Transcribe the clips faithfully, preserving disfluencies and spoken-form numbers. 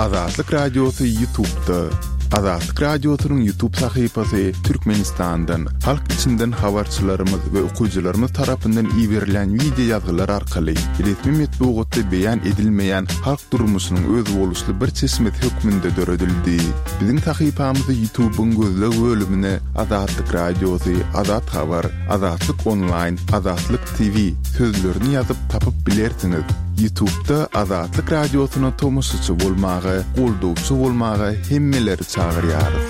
Azatlyk Radiosy YouTube'da. Azatlyk Radiosynyň YouTube sahypasy Türkmenistandan, halk içinden habarçylarymyz we okyjylarymyz tarapyndan iberilen wideo ýazgylar arkaly resmi metbugatda beýan edilmeýän halk durmuşynyň özboluşly bir çeşmesi hökmünde döredildi. Biziň sahypamyzy YouTube'yň gözleg bölümine Azatlyk Radiosy, Azat Habar, Azatlyk Online, Azatlyk T V sözlerini ýazyp tapyp bilersiňiz. YouTube'da Azatlyk Radiosyna tomaşaçy bolmaga, goldawçy bolmaga hemmeleri çagyrýarys.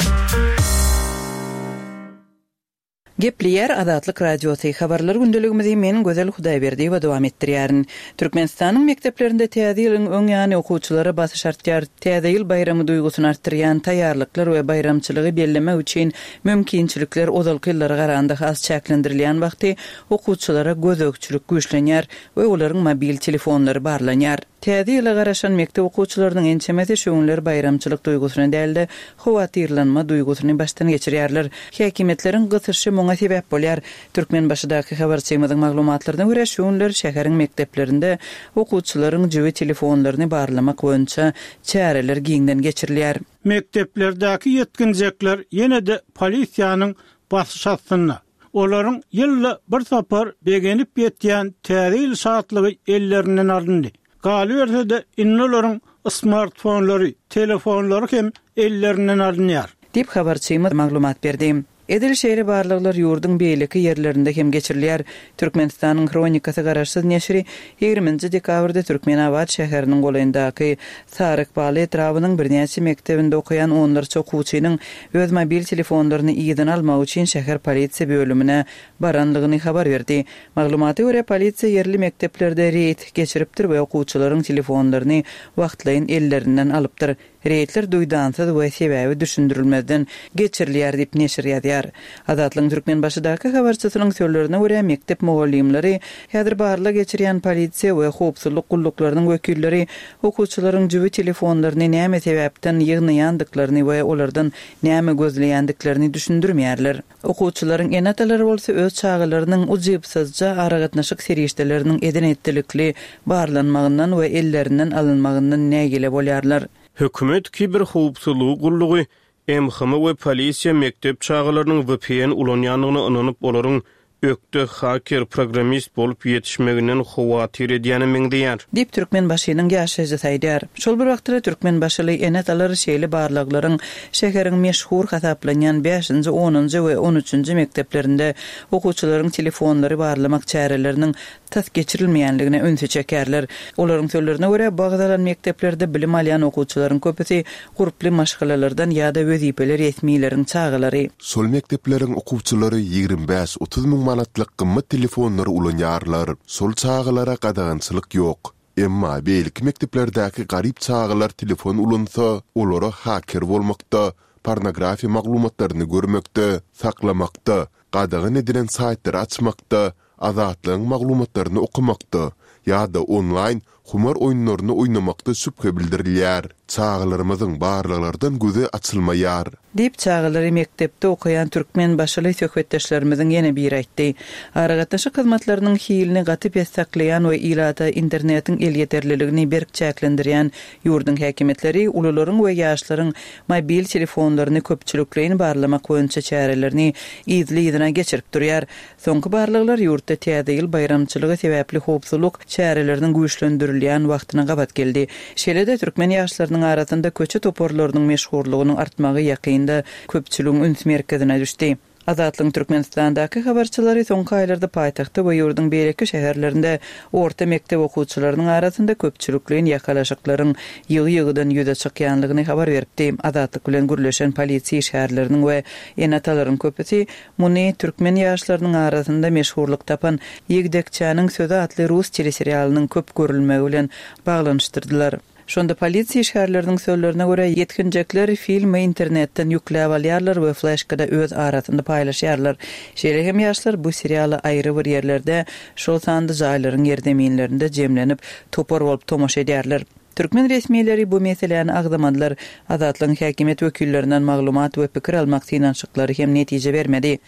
Gepleýär Azatlyk Radiosy. Habarlar gündeligimizi men Gözel Hudaýberdiýewa dowam etdirýärin. Türkmenistanyň mekdeplerinde täze ýylyň öň ýany okuwçylara basyş artýar. Täze ýyl baýramy duýgusyny artdyrýan taýýarlyklar we baýramçylygy bellemek üçin mümkinçilikler ozalky ýyllara garanda has çäklendirilýän wagty okuwçylara gözegçilik güýçlenýär we olaryň mobil telefonlary barlanýar. Täze ýyla garaşan mekdep okuwçylarynyň ençemesi şu günler baýramçylyk duýgusyny däl-de howatyrlanma duýgusyny başdan geçirýärler. Häkimiýetleriň gysyşy muňa sebäp bolýar. Türkmenbaşydaky habarçymyzyň maglumatlaryna görä şu günler şäheriň mekdeplerinde okuwçylaryň jübi telefonlaryny barlamak boýunça çäreler giňden geçirilýär. Mekdeplerdäki ýetginjekler ýene-de polisiýanyň basyş astynda. Olaryň ýylda bir sapar begenip ýetýän täze ýyl şatlygy ellerinden alyndy. Galyberse-de indi olaryň smartfonlary, telefonlary hem ellerinden alynýar. Diýip habarçymyz maglumat berdi. Edil şeýle barlaglar ýurduň beýleki ýerlerinde hem geçirilýär. Türkmenistanyň Hronikasy garaşsyz neşiri ýigriminji dekabrda Türkmenabat şäheriniň golaýyndaky Sarykbaly etrabynyň birnäçe mekdebinde okaýan onlarça okuwçynyň öz mobil telefonlaryny yzyna almak üçin şäher polisiýa bölümine baranlygyny habar berdi. Maglumata görä polisiýa ýerli mekdeplerde reýd geçiripdir we okuwçylaryň telefonlaryny wagtlaýyn ellerinden alypdyr. Reýdler duýdansyz we sebäbi düşündirilmezden geçirilýär diýip neşir ýazýar. Azatlygyň Türkmenbaşydaky habarçysynyň sözlerine görä mekdep mugallymlary häzir barlag geçirýän polisiýa we howpsuzlyk gulluklarynyň wekilleri okuwçylaryň jübi telefonlaryny näme sebäpden ýygnaýandyklaryny we olardan näme gözleýändiklerini düşündirmeýärler. Okuwçylaryň ene-atalary bolsa öz çagalarynyň ujypsyzja aragatnaşyk serişdeleriniň eden etdilikli barlanmagyndan we ellerinden alynmagyndan nägile bolýarlar. Hökümet kiber howpsuzlygy gullugy M H M we polisiýa mekdep çagalarynyň V P N ulanýandygyna ynanyp, olaryň ökde haker programmist bolup ýetişmeginden howatyr edýäne meňzeýär. Diýip Türkmenbaşynyň ýaşaýjysy aýdýar. Şol bir wagtda Türkmenbaşyly ene-atalar şeýle barlaglaryň şäheriň meşhur hasaplanýan bäşinji, onunjy we on üçünji mekdeplerinde okuwçylaryň telefonlary barlamak çäreleriniň tas geçirilmeýänligine ünsi çekerler. Olaryň sözlerine görä bagdalan mekdeplerde bilim alýan okuwçylaryň köpüsi gurply maşgalalardan ýa-da wezipeli resmileriň çagalary. Şol mekdepleriň okuwçylary ýigrimi bäş otuz müň manatlyk gymmat telefonlary ulanýarlar. Şol çagalara gadagançylyk ýok. Emma beýleki mekdeplerdäki garyp çagalar telefon ulansa, olara haker bolmakda, pornografiýa maglumatlaryny görmekde, saklamakda, gadagan edilen saýtlary açmakda, azatlygyň maglumatlaryny okumakda ýa-da onlaýn humar oýunlaryny oýnamakda şübhe bildirilýär. Çagalarymyzyň barlaglardan gözi açylmaýar. Diýip çagalary mekdepde okaýan Türkmenbaşyly söhbetdeşlerimiziň ýene biri aýtdy. Aragatnaşyk hyzmatlarynyň hilini gaty pes saklaýan we ilata internetiň elýeterliligini berk çäklendirýän ýurduň häkimiýetleri ulularyň we ýaşlaryň mobil telefonlaryny köpçülikleýin barlamak boýunça çärelerini yzly-yzyna geçirip durýar. Soňky barlaglar ýurtda täze ýyl baýramçylygy sebäpli howpsuzlyk çäreleriniň güýçlendirilýän wagtyna gabat geldi. Şeýle-de türkmen ýaşlarynyň arasynda köçe toparlarynyň meşhurlygynyň artmagy ýakynda köpçüligiň üns merkezine düşdi. Azatlygyň Türkmenistandaky habarçylary soňky aýlarda paýtagtda we ýurduň beýleki şäherlerinde orta mekdep okuwçylarynyň arasynda köpçülikleýin ýakalaşyklaryň ýygy-ýygydan ýüze çykýanlygyny habar beripdi. Azatlyk bilen gürleşen polisiýa işgärleriniň we ene-atalaryň köpüsi muny türkmen ýaşlarynyň arasynda meşhurlyk tapan Ýigdekçäniň sözi atly rus teleserialynyň köp görülmegi bilen baglanyşdyrdylar. Şonda polisiýa işgärleriniň sözlerine görä ýetginjekler filmi internetden ýükläp alýarlar we fleşkada öz arasynda paýlaşýarlar. Şeýle hem ýaşlar bu serialy aýry bir ýerlerde, şol sanda jaýlaryň ýerzeminlerinde jemlenip topar bolup tomaşa edýärler. Türkmen resmileri bu meseläni agzamadylar. Azatlygyň häkimiýet wekillerinden maglumat we pikir almak synanyşyklary hem netije bermedi.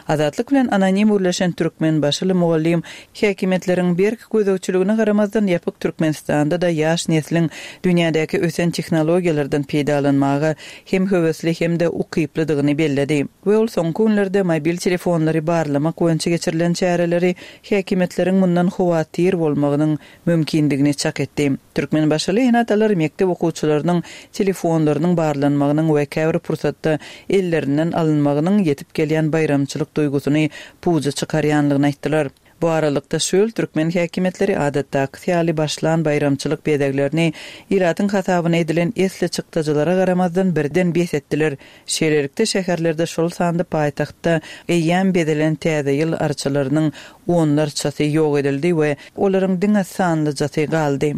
Azatlyk bilen anonim gürleşen türkmenbaşyly mugallym häkimiýetleriň berk gözegçiligine garamazdan ýapyk Türkmenistanda-da ýaş nesliň dünýädäki ösen tehnologiýalardan peýdalanmaga hem höwesli hem-de ukyplydygyny belledi we ol soňky günlerde mobil telefonlary barlamak boýunça geçirilen çäreleri häkimiýetleriň mundan howatyr bolmagynyň mümkindigini çak etdi. Türkmenbaşyly ene-atalar mekdep okuwçylarynyň telefonlarynyň barlanmagynyň we käbir pursatda ellerinden alynmagynyň ýetip gelýän baýramçylyk duýgusyny puja çykarýanlygyny aýtdylar. Bu aralykda şu ýyl türkmen häkimiýetleri adatdaky ýaly başlan baýramçylyk bezeglerini ilatyň hasabyna edilen esli çykdajylara garamazdan birden bes etdiler. Şeýlelikde şäherlerde şol sanda paýtagtda eýýäm bezelen täze ýyl arçalarynyň onlarçasy ýok edildi we olaryň diňe sanlyjasy galdy.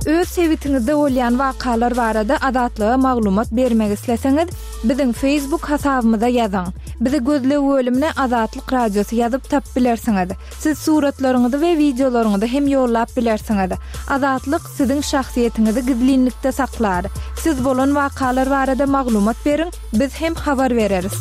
Öz sebitiňizde bolýan wakalar barada Azatlyga maglumat bermek isleseňiz, biziň Facebook hasabymyza ýazyň. Bizi gözleg bölümine Azatlyk Radiosy ýazyp tapyp bilersiňiz. Siz suratlaryňyzy we wideolaryňyzy hem ýollap bilersiňiz. Azatlyk siziň şahsyýetiňizi gizlinlikde saklar. Siz bolan wakalar barada maglumat beriň, biz hem habar bereris.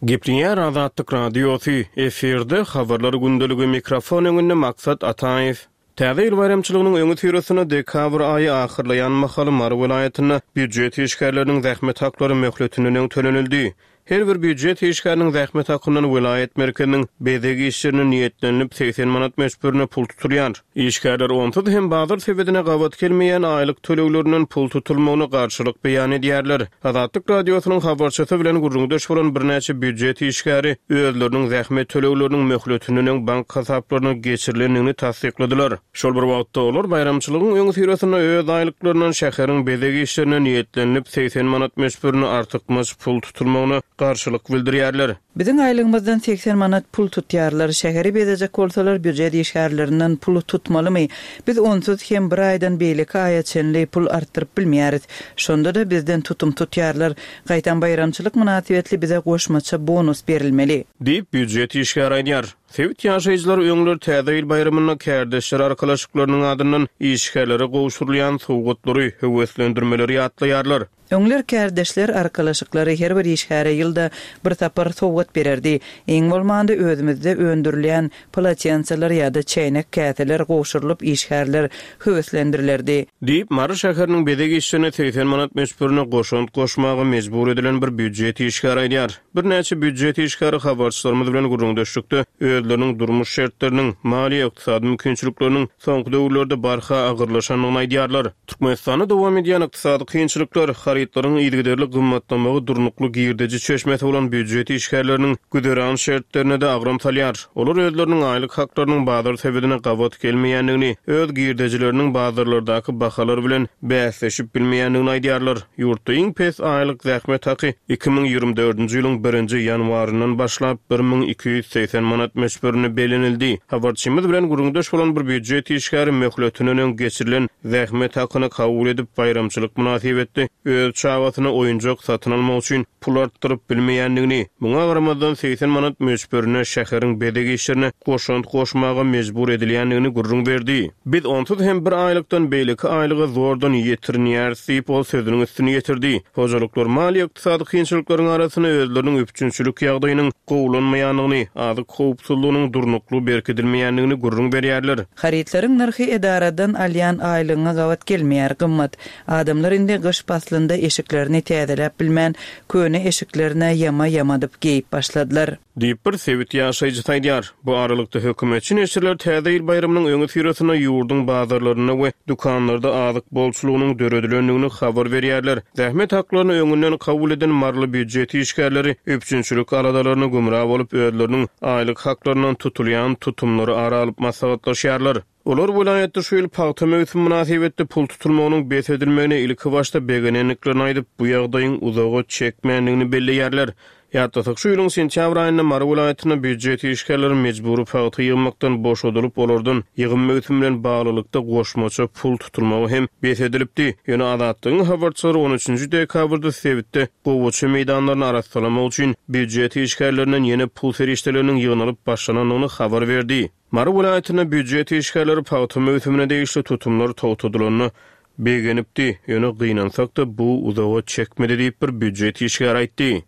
Gepleýär Azatlyk Radiosy, efirde habarlar gündeligi mikrofon öňünde Maksat Ataýew. Täze ýyl baýramçylygynyň öňüsyrasynda dekabr aýy ahyrlaýan mahaly Mary welaýatynda býujet işgärleriniň zähmet haklary möhletinden öň tölenildi. Her bir býujet işgäriniň zähmet hakyndan welaýat merkeziniň bezeg işlerine niýetlenilip segsen manat möçberinde pul tutulýar. Işgärler onsuz hem bazar sebedine gabat gelmeýän aýlyk töleglerinden pul tutulmagyna garşylyk beýan edýärler. Azatlyk Radiosynyň habarçysy bilen gürrüňdeş bolan birnäçe býujet işgäri özleriniň zähmet tölegleriniň möhletinden öň bank hasaplaryna geçirilendigini tassykladylar. Şol bir wagtda olar baýramçylygyň öňüsyrasynda öz aýlyklaryndan şäheriň bezeg işlerine niýetlenilip segsen manat möçberinde artykmaç pul tutulmagyna garşylyk bildirýärler. Biziň aýlygymyzdan segsen manat pul tutýarlar. Şäheri bezejek bolsalar býujet işgärlerinden pul tutmalymy? Biz onsuz hem bir aýdan beýleki aýa çenli pul artdyryp bilmeýäris. Şonda-da bizden tutum tutýarlar. Gaýtam baýramçylyk mynasybetli bize goşmaça bonus berilmeli. Diýip býujet işgäri aýdýar. Sebit ýaşaýjylary öňler täze ýyl baýramynda kärdeşler arkalaşyklarynyň adyndan işgärlere gowşurylýan sowgatlary, höweslendirmeleri ýatlaýarlar. Öňler kärdeşler arkalaşyklary her bir işgäre ýylda bir sapar sowgat bererdi. Iň bolmanda özümizde öndürilýän polotensalar ýa-da çäýnek käseler gowşurylyp işgärler höweslendirilerdi. Diýip Mary şäheriniň bezeg işlerine segsen manat möçberine goşant goşmaga mejbur edilen bir býujet işgäri aýdýar. Birnäçe býujet işgäri habarçylarymyz bilen gürrüňdeşlikde özleriniň durmuş şertleriniň, maliýe ykdysady mümkinçilikleriniň soňky döwürlerde barha agyrlaşandygyny aýdýarlar. Türkmenistanda dowam edýän ykdysady kynçylyklar, harytlaryň yzygiderli gymmatlamagy durnukly girdeji çeşmesi bolan býujet işgärleriniň güzeran şertlerine-de agram salýar. Olar özleriniň aýlyk haklarynyň bazar sebedine gabat gelmeýändigini, öz girdejileriniň bazarlardaky bahalar bilen bäsleşip bilmeýändigini aýdýarlar. Ýurtda iň pes aýlyk zähmet haky iki müň ýigrimi dördünji ýylyň birinji ýanwaryndan başlap bir müň iki ýüz segsen manat möçberinde bellenildi. Habarçymyz bilen gürrüňdeş bolan bir býujet işgäri möhletinden öň geçirilen zähmet hakyny kabul edip baýramçylyk mynasybetli öz çagasyna oýunjak satyn almak üçin pul artdyryp bilmeýändigini, muňa garamazdan segsen manat möçberine şäheriň bezeg işlerine goşant goşmaga mejbur edilýändigini gürrüň berdi. Biz onsuz hem bir aýlykdan beýleki aýlyga zordan ýetirinýäris diýip ol sözüniň üstüni ýetirdi. Hojalyklar maliýe ykdysady kynçylyklaryň arasynda özleriniň üpjünçilik ýagdaýynyň gowulanmaýandygyny, azyk howpsuzlygynyň durnukly berkidilmeýändigini gürrüň berýärler. Harytlaryň nyrhy edaradan alýan aýlygyna gabat gelmeýär, gymmat. Adamlar indi gyş paslynda eşiklerini täzeläp bilmän, köne eşiklerine ýama ýamadyp geýip başladylar. Diýip bir sebit ýaşaýjysy aýdýar. Bu aralykda hökümetçi neşirler täze ýyl baýramynyň öňüsyrasynda ýurduň bazarlarynda we dükanlarda azyk bolçulygynyň döredilendigini habar berýärler. Zähmet haklaryny öňünden kabul eden maryly býujet işgärleri üpjünçilik aladalaryna gümra bolup özleriniň aýlyk haklaryndan tutulýan tutumlary ara alyp maslahatlaşýarlar. Olar welaýatda şu ýyl pagta möwsümi mynasybetli pul tutulmagynyň bes edilmegine ilki başda begenendiklerini aýdyp, bu ýagdaýyň uzaga çekmändigini belleýärler. Ýatlasak, şu ýylyň sentýabr aýynda Mary welaýatynda býujet işgärleri mejbury pagta ýygmakdan boşadylyp, olardan ýygym möwsümi bilen baglylykda goşmaça pul tutulmagy hem bes edilipdi. Ýöne Azatlygyň habarçylary on üçünji dekabrda sebitde gowaça meýdanlaryny arassalamak üçin býujet işgärlerinden ýene pul serişdeleriniň ýygnalyp başlanandygyny habar berdi. Mary welaýatynda býujet işgärleri pagta möwsümine degişli tutumlar togtadylanda begenipdi, ýöne gynansak-da bu uzaga çekmedi diýip bir býujet işgäri aýtdy.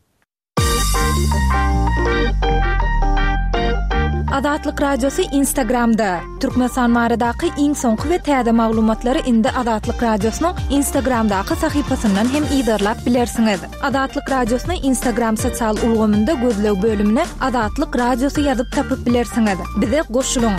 Azatlyk Radiosy Instagramda. Türkmenistan baradaky iň soňky we täze maglumatlary indi Azatlyk Radiosynyň Instagramdaky sahypasyndan hem yzarlap bilersiňiz. Azatlyk Radiosyny Instagram sosial ulgamynda gözleg bölümine Azatlyk Radiosy ýazyp tapyp bilersiňiz. Bize goşulyň.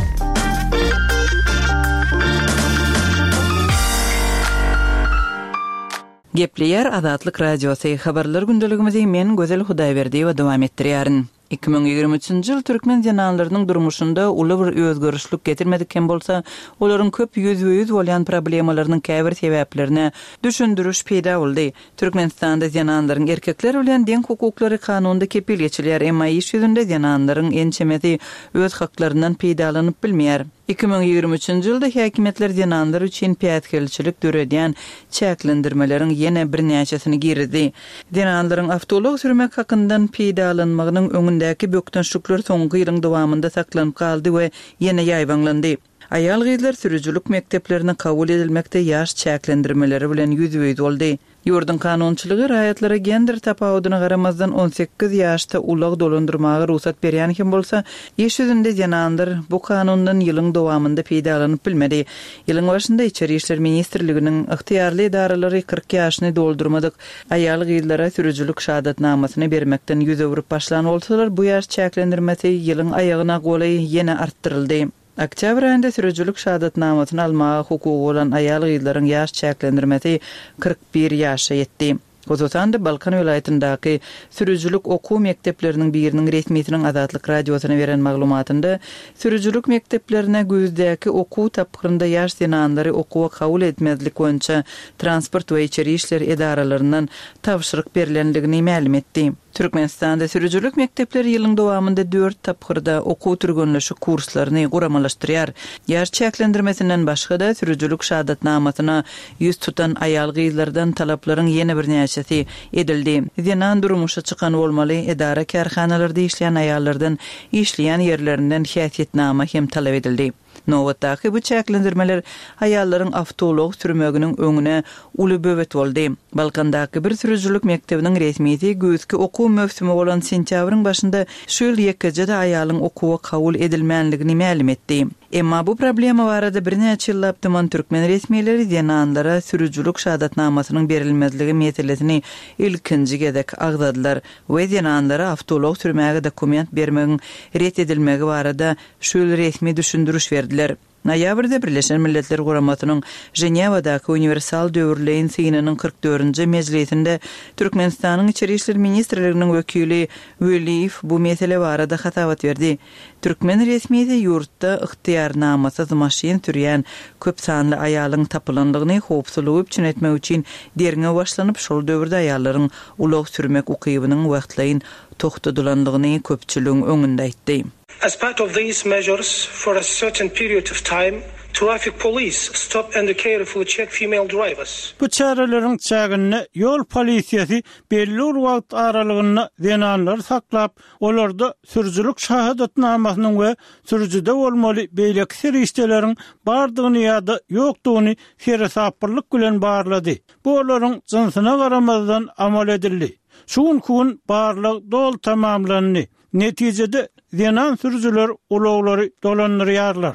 Gepleýär Azatlyk Radiosy. Habarlar gündeligimizi men Gözel Hudaýberdiýewa dowam etdirýärin. Iki müň ýigrimi üçünji ýyl türkmen zenanlarynyň durmuşynda uly bir özgerişlik getirmedik hem bolsa, olaryň köp ýüzbe-ýüz bolýan problemalarynyň käbir sebäplerine düşündiriş peýda boldy. Türkmenistanda zenanlaryň erkekler bilen deň hukuklary kanunda kepil geçilýär, emma iş ýüzünde zenanlaryň ençemesi öz haklaryndan peýdalanyp bilmeýär. Iki müň ýigrimi üçünji ýylda häkimiýetler zenanlar üçin päsgelçilik döredýän çäklendirmeleriň ýene birnäçesini girizdi. Zenanlaryň awtoulag sürmek hakyndan peýdalanmagynyň öňündäki bökdençlikler soňky ýylyň dowamynda saklanyp galdy we ýene ýaýbaňlandy. Aýal-gyzlar sürüjilik mekdeplerine kabul edilmekde ýaş çäklendirmeleri bilen ýüzbe-ýüz boldy. Ýurduň kanunçylygy raýatlara gender tapawudyna garamazdan on sekiz ýaşda ulag dolandyrmaga rugsat berýän hem bolsa, iş ýüzünde zenanlar bu kanundan ýylyň dowamynda peýdalanyp bilmedi. Ýylyň başynda Içeri işler ministrliginiň ygtyýarly edaralary kyrk ýaşyny doldurmadyk aýal-gyzlara sürüjilik şahadatnamasyny bermekden ýüz öwrüp başlan bolsalar, bu ýaş çäklendirmesi ýylyň aýagyna golaý ýene artdyryldy. Oktýabr aýynda sürüjilik şahadatnamasyny almaga hukugy bolan aýal-gyzlaryň ýaş çäklendirmesi kyrk bir ýaşa ýetdi. Hususan-da Balkan welaýatyndaky sürüjilik okuw mekdepleriniň biriniň resmisiniň Azatlyk Radiosyna beren maglumatynda sürüjilik mekdeplerine güýzdäki okuw tapgyrynda ýaş zenanlary okuwa kabul etmezlik boýunça transport we içeri işler edaralaryndan tabşyryk berlendigini mälim etdi. Türkmenistanda sürüjilik mekdepleri ýylyň dowamynda dört tapgyrda okuw türgenleşik kurslaryny guramalaşdyrýar. Ýaş çäklendirmesinden başga-da sürüjilik şahadatnamasyna ýüz tutan aýal-gyzlardan talaplaryň ýene birnäçesi edildi. Zenan durmuşa çykan bolmaly, edara kärhanalarda işleýän aýallardan işleýän ýerlerinden häsiýetnama hem talap edildi. Nobatdaky bu çäklendirmeler aýallaryň awtoulag sürmeginiň öňüne uly böwet boldy. Balkandaky bir sürüjilik mekdebiniň resmisi güýzki okuw möwsümi bolan sentýabryň başynda şu ýyl ýekeje-de aýalyň okuwa kabul edilmänligini mälim etdi. Emma bu problema barada birnäçe ýyllap dyman türkmen resmileri zenanlara sürüjilik şahadatnamasynyň berilmezligi meselesini ilkinji gezek agzadylar we zenanlara awtoulag sürmäge dokument bermegiň ret edilmegi barada şu ýyl resmi düşündiriş berdiler. Noýabrda Birleşen Milletler Guramasynyň Ženewadaky uniwersal döwürleýin synynyň kyrk dördünji mejlisinde Türkmenistanyň Içeri işler ministrliginiň wekili Weliýew bu mesele barada hasabat berdi. Türkmen resmisi ýurtda ygtyýarnamasyz maşyn sürýän köp sanly aýalyň tapylandygyny howpsuzlygy üpjün etmek üçin derňew başlanyp, şol döwürde aýallaryň ulag sürmek ukybynyň wagtlaýyn togtadylandygyny köpçüligiň öňünde aýtdy. As part of these measures, for a certain period of time, traffic police stop and carefully check female drivers. Bu çäreleriň çäginde ýol polisiýasy belli bir wagt aralygynda zenanlary saklap, olarda sürüjilik şahadatnamasynyň we sürüjide bolmaly beýleki serişdeleriň bardygyny ýa-da ýokdugyny seresaplylyk bilen barlady. Bu olaryň jynsyna garamazdan amal edildi. Şu günki gün barlag doly tamamlandy. Netijede zenan sürüjiler ulaglary dolandyrýarlar.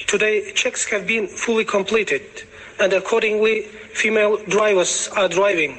Today checks have been fully completed and accordingly female drivers are driving.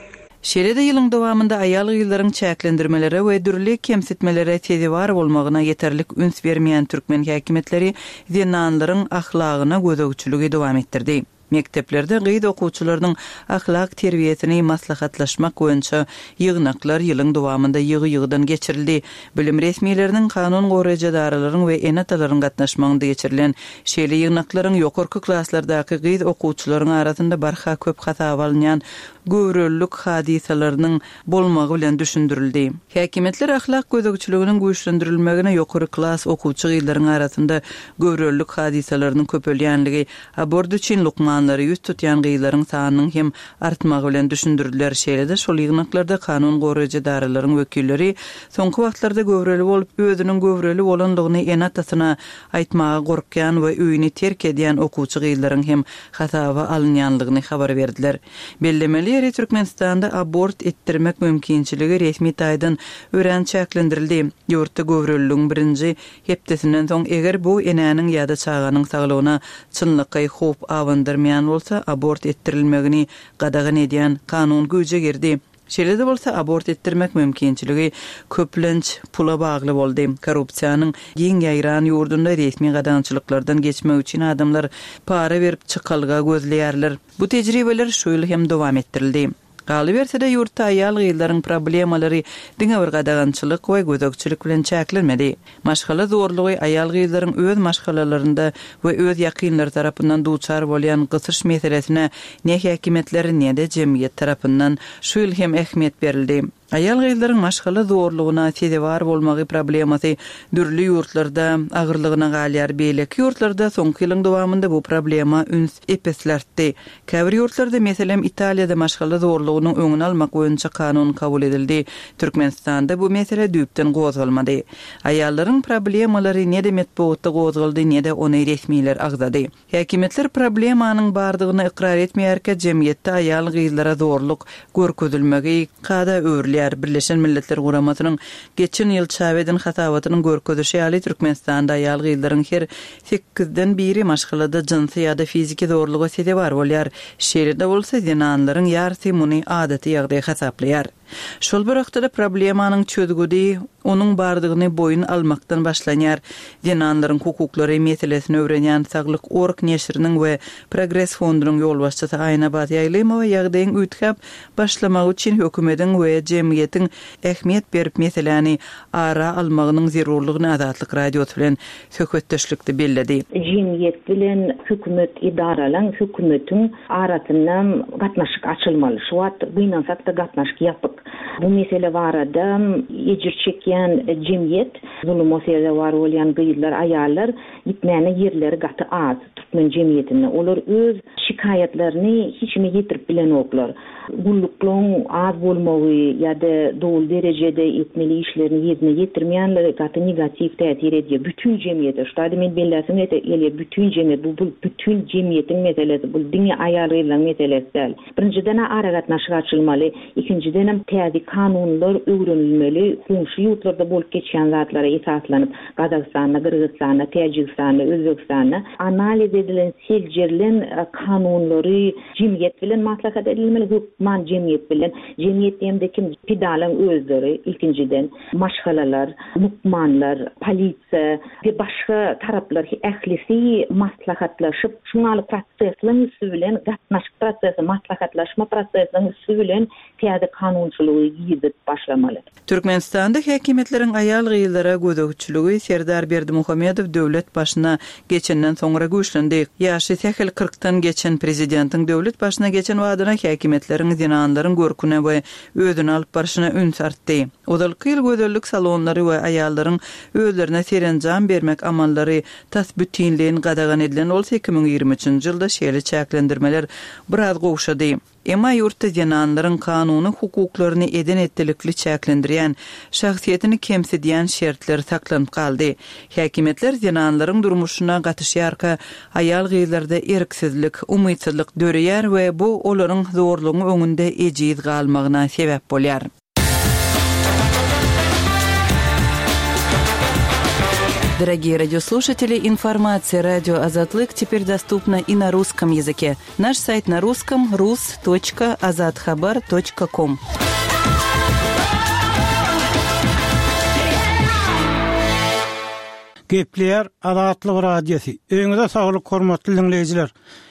Şeýle-de ýylyň dowamynda aýal-gyzlaryň çäklendirmelere we dürli kemsitmelere sezewar bolmagyna ýeterlik üns bermeýän türkmen häkimiýetleri zenanlaryň ahlagyna gözegçiligi dowam etdirdi. Mekdeplerde gyz okuwçylarynyň ahlak terbiýesini maslahatlaşmak boýunça ýygnaklar ýylyň dowamynda ýygy-ýygydan geçirildi. Bilim resmileriniň, kanun goraýjy edaralaryň we ene-atalaryň gatnaşmagynda geçirilen şeýle ýygnaklaryň ýokarky klaslardaky gyz okuwçylaryň arasynda barha köp hasaba alynýan göwrelilik hadysalarynyň bolmagy bilen düşündirildi. Häkimiýetler ahlak gözegçiliginiň güýçlendirilmegine ýokary klas okuwçy gyzlaryň arasynda göwrelilik hadysalarynyň köpelýänligi, abort üçin lukmanlara ýüz tutýan gyzlaryň sanynyň hem artmagy bilen düşündirdiler. Şeýle-de şol ýygnaklarda kanun goraýjy edaralaryň wekilleri soňky wagtlarda göwreli bolup, özüniň göwreli bolanlygyny ene-atasyna aýtmaga gorkýan we öýüni terk edýän okuwçy gyzlaryň hem hasaba alynýanlygyny habar berdiler. Bellemeli ýeri Türkmenistanda abort etdirmek mümkinçiligi resmi taýdan örän çäklendirildi. Ýurtda göwreliligiň birinji hepdesinden soň eger bu enäniň ýa-da çaganyň saglygyna çynlakaý howp abandyrmaýan bolsa, abort etdirilmegini gadagan edýän kanun güýje girdi. Şeýle-de bolsa abort etdirmek mümkinçiligi köplenç pula bagly boldy. Korrupsiýanyň giň ýaýran ýurdunda resmi gadagançylyklardan geçmek üçin adamlar para berip çykalga gözleýärler. Bu tejribeler şu ýyl hem dowam etdirildi. Galyberse-de ýurtda aýal gyzlaryň problemalary diňe bir gadagançylyk we gözegçilik bilen çäklenmedi. Maşgala zorlugy aýal gyzlaryň öz maşgalalarynda we öz ýakynlary tarapyndan duçar bolýan gysyş meselesine ne häkimiýetler ne-de jemgyýet tarapyndan şu ýyl hem ähmiýet berildi. Aýal gyzlaryň maşgala zorlugyna sezewar bolmagy problemasy dürli ýurtlarda agyrlygyna galýar. Beýleki ýurtlarda soňky ýylyň dowamynda bu problema üns epesli artdy. Käbir ýurtlarda, meselem, Italiýada maşgala zorlugynyň öňüni almak boýunça kanun kabul edildi. Türkmenistanda bu mesele düýpden gozgalmady. Aýallaryň problemalary ne-de metbugatda gozgaldy, ne-de ony resmiler agzady. Häkimiýetler problemanyň bardygyny ykrar etmeýärkä jemgyýetde aýal gyzlara zorluk görkezilmegi kada öwrülýär. Birleşen Milletler Guramasynyň geçen ýyl çap eden hasabatynyň görkezişi ýaly Türkmenistanda aýal gyzlaryň her sekizden biri maşgalada jynsy ýa-da fiziki zorluga sezewar bolýar. Şeýle-de bolsa zenanlaryň ýarysy muny adaty ýagdaý hasaplaýar. Şol bir wagtda problemanyň çözgüdi onuň bardygyny boýun almakdan başlanýar. Zenanlaryň hukuklary meselesini öwrenýän Saglyk Org neşiriniň we Progres fondunyň ýolbaşçysy Aýnabat Ýaýlymowa ýagdaýyň üýtgäp başlamagy üçin hökümetiň we jemgyýetiň ähmiýet berip meseläni ara almagynyň zerurlygyny Azatlyk Radiosy bilen söhbetdeşlikde belledi. Jemgyýet bilen hökümet edaralaryň, hökümetiň arasynda gatnaşyk açylmaly. Şu wagt gynansak da gatnaşyk ýapyk. Bu mesele barada ejir çekýän jemgyýet, zuluma sezewar bolýan gyzlar, aýallar gitmäne ýerleri gaty az türkmen jemgyýetinde. Olar öz şikaýatlaryny hiç kime ýetirip bilenoklar. Gulluklaryň az bolmagy ýa-da doly derejede etmeli işlerini ýerine ýetirmeýänleri gaty negatiw täsir edýär bütün jemgyýete. Şu taýda men belläsim gelýär, bütün jemgyýet, bu, bu bütün jemgyýetiň meselesi, bu diňe aýal gyzlaryň meselesi däl. Birinjiden aragatnaşyk açylmaly, ikinjiden hem täze kanunlar öwrenilmeli, goňşy ýurtlarda bolup geçýän zatlara esaslanyp, Gazagystanda, Gyrgyzystanda, Täjigistanda, Özbegistanda analiz edilen, seljerilen e, kanunlary jemgyýet bilen maslahat edilmeli, hökman jemgyýet bilen. Jemgyýet diýemde kim? Pidalaryň özleri ilkinjiden, maşgalalar, lukmanlar, polisiýa we başga taraplar ählisi maslahatlaşyp, şuňaly prosesleň üstü bilen gatnaşyk prosesi, maslahatlaşma prosesiniň üstü bilen täze kanunçylygy girizip başlamaly. Türkmenistanda häkimiýetleriň aýal gyzlara gözegçiligi Serdar Berdimuhamedow döwlet başyna geçenden soňra güýçlendi. Ýaşy sähel kyrkdan geçen prezidentiň döwlet başyna geçen wadyna häkimiýetleriň zenanlaryň görküne we özüni alyp barşyna üns artdy. Ozalky ýyl gözellik salonlary we aýallaryň özlerine serenjam bermek amallary tas bütinleýin gadagan edilen bolsa iki müň ýigrimi üçünji ýylda şeýle çäklendirmeler biraz gowşady. Emma ýurtda zenanlaryň kanuny hukuklaryny eden etdilikli çäklendirýän, şahsyýetini kemsidýän şertler saklanyp galdy. Häkimiýetler zenanlaryň durmuşyna gatyşýarka aýal gyzlarda erksizlik, umytsyzlyk döreýär we bu olaryň zorlugyň öňünde ejiz galmagyna sebäp bolýar. Дорогие радиослушатели, информация радио Азатлык теперь доступна и на русском языке. Наш сайт на русском рус точка азатхабар точка ком. Gepleýär Azatlyk Radiosy. Öýüňize saglyk hormatly diňleýjiler.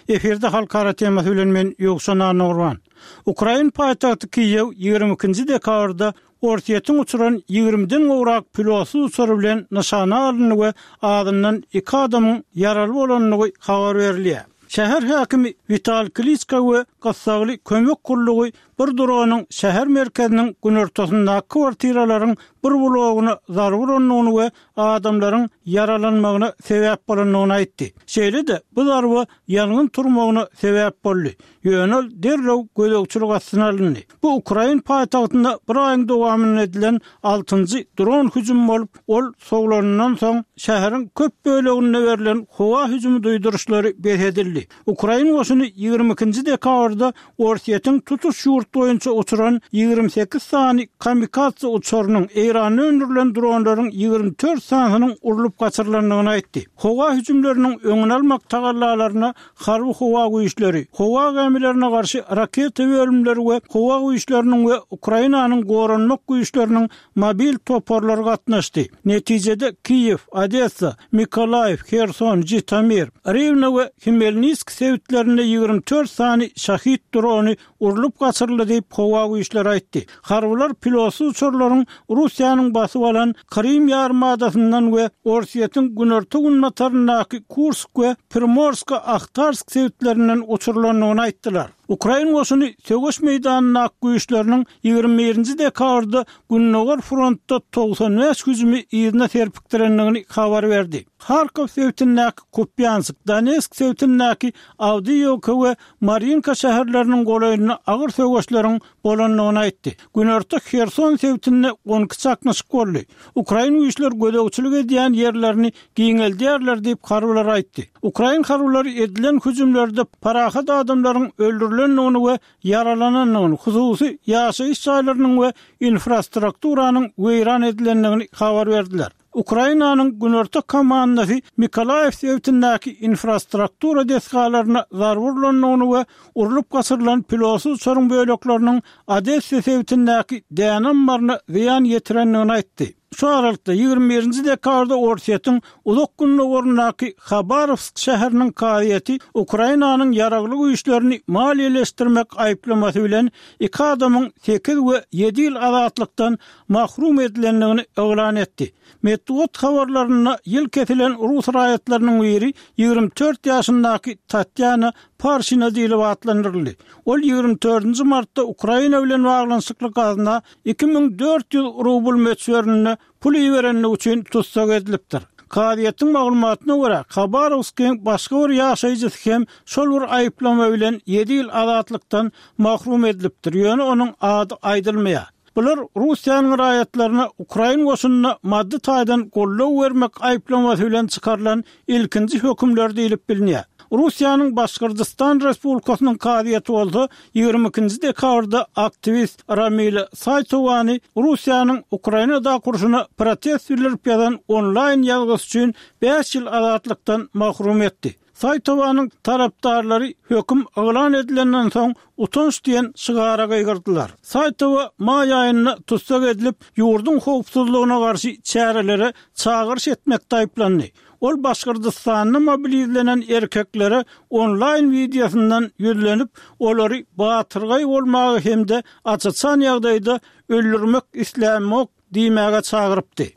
Efirde halkara temasy bilen men Ýowşan Annagurban. Ukrain paýtagty Kiýew ýigrimi ikinji dekabrda Orsýetiň uçuran ýigrimiden gowrak pilotsyz uçary bilen nyşana alyndy we azyndan iki adamyň ýaraly bolandygy habar berilýär. Şäher häkimi Wital Kliçka we gyssagly kömek gullugy bir dronyň şäher merkeziniň günortasyndaky kwartiralaryň bir blogyna zarba urandygyny we adamlaryň ýaralanmagyna sebäp bolandygyny aýtdy. Şeýle-de, bu zarba ýangyn turmagyna sebäp boldy. Ýöne ol derrew gözegçilik astyna alyndy. Bu ukrain paýtagtynda bir aýyň dowamynda edilen altynjy dron hüjümi bolup, ol sowlanyndan soň şäheriň köp böleginde berlen howa hüjümi duýduryşlary bes edildi. Ukrain goşuny ýigrimi ikinji dekabrda Orsýetiň tutuş ýurt boýunça uçuran ýigrimi sekiz sany kamikadze uçarynyň, Eýranda öndürilen dronlaryň ýigrimi dört sanysynyň urlup gaçyrylandygyny aýtdy. Howa hüjümleriniň öňüni almak tagallalaryna harby howa güýçleri, howa gämilerine garşy raketa bölümleri we howa güýçleriniň we Ukrainanyň goranmak güýçleriniň mobil toparlary gatnaşdy. Netijede Kiýew, Odessa, Mykolaýiw, Herson, Žitomir, Riwne we Hmelnisk sebitlerinde ýigrimi dört sany Şahid drony urlup gaçyryldy diýip, howa güýçleri aýtdy. Harbylar pilotsyz uçarlaryň Russiýanyň basyp alan Krym ýarymadasyndan we Orsýetiň günorta-günbataryndaky Kursk we Primorsko-Ahtarsk sebitlerinden uçurylandygyny aýtdylar. Ukrain goşuny söweş meýdanyndaky güýçleriniň ýigrimi birinji dekabrda Gündogar frontda togsan bäş hüjümi yzyna serpikdirendigini habar berdi. Harkow sebitindäki Kupýansk, Donetsk sebitindäki Awdiýewka we Marinka şäherleriniň golaýynda agyr söweşleriň bolandygyny aýtdy. Günorta Herson sebitinde on iki çaknyşyk boldy. Ukrain güýçleri gözegçilik edýän ýerlerini giňeldýärler diýip, harbylar aýtdy. Ukrain harbylary edilen hüjümlerde parahat adamlaryň öldürilendigini we ýaralanandygyny, hususy ýaşaýyş jaýlarynyň we infrastrukturanyň weýran edilendigini habar berdiler. Ukrainanyň günorta komandasy Mykolaýiw sebitindäki infrastruktura desgalaryna zarba urlandygyny we urlup gaçyrylan pilotsyz uçaryň bölekleriniň Odessa sebitindäki däne ammaryna zyýan ýetirendigini aýtdy. Şu aralykda, ýigrimi birinji dekabrda Orsýetiň Uzak Gündogaryndaky Habarowsk şäheriniň kazyýeti Ukrainanyň ýaragly güýçlerini maliýeleşdirmek aýyplamasy bilen iki adamyň sekiz we ýedi ýyl azatlykdan mahrum edilendigini yglan etdi. Metbugat habarlarynda ýyl kesilen rus raýatlarynyň biri ýigrimi dört ýaşyndaky Tatýana Parşina diýlip atlandyryldy. Ol ýigrimi dördünji martda Ukraina bilen baglanyşykly gazna iki müň dört ýüz rubl möçberinde pul iberenligi üçin tussag edilipdir. Kazyýetiň maglumatyna görä, Habarowskyň başga bir ýaşaýjysy hem şol bir aýyplama bilen ýedi ýyl azatlykdan mahrum edilipdir, ýöne onuň ady aýdylmaýar. Bular Russiýanyň raýatlaryna ukrain goşunyna maddy taýdan goldaw bermek aýyplamasy bilen çykarylan ilkinji hökümler diýlip bilinýär. Russiýanyň Başgyrdystan Respublikasynyň kazyýeti bolsa ýigrimi ikinji dekabrda aktiwist Ramila Saýtowany Russiýanyň Ukrainadaky urşuna protest bildirip ýazan onlaýn ýazgysy üçin bäş ýyl azatlykdan mahrum etdi. Saýtowanyň tarapdarlary höküm yglan edilenden soň utanç diýen şygara gygyrdylar. Saýtowa maý aýynda tussag edilip, ýurduň howpsuzlygyna garşy çärelere çagyryş etmekde aýyplandy. Ol Başgyrdystanda mobilizlenen erkeklere onlaýn wideosyndan ýüzlenip, olary batyrgaý bolmaga hem-de aç-açan ýagdaýda öldürmek islämok diýmäge çagyrypdy.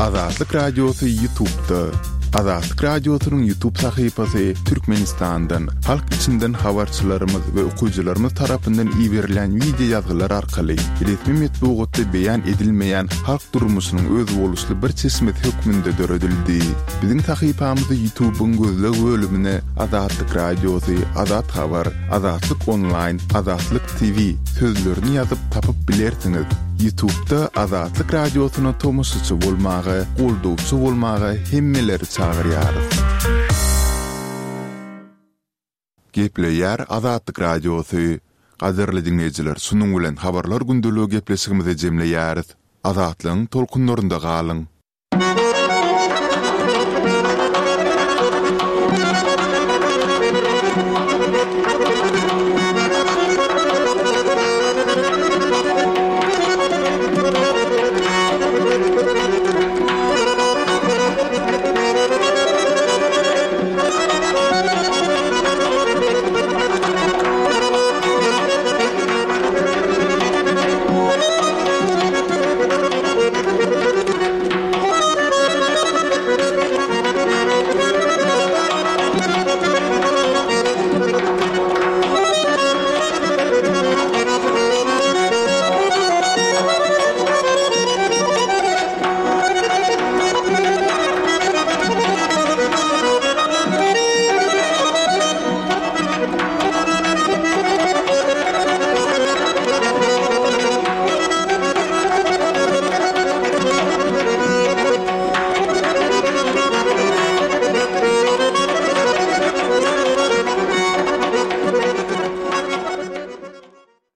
Azatlyk Radiosy YouTube'da. Azatlyk Radiosynyň YouTube sahypasy Türkmenistandan, halk içinden habarçylarymyz we okyjylarymyz tarapyndan iberilýän wideo ýazgylar arkaly resmi metbugatda beýan edilmeýän halk durmuşynyň özboluşly bir çeşmesi hökmünde döredildi. Biziň sahypamyzy YouTube'yň gözleg bölümine Azatlyk Radiosy, Azat Habar, Azatlyk Onlaýn, Azatlyk T V sözlerini ýazyp tapyp bilersiňiz. YouTube'da Azatlyk Radiosyna tomaşaçy bolmaga, goldawçy bolmaga hemmeleri çagyrýarys. Gepleýär Azatlyk Radiosy. Gadyrly diňleýjiler, şunuň bilen Habarlar gündeligi gepleşigimizi jemleýäris. Azatlygyň tolkunlarynda galyň.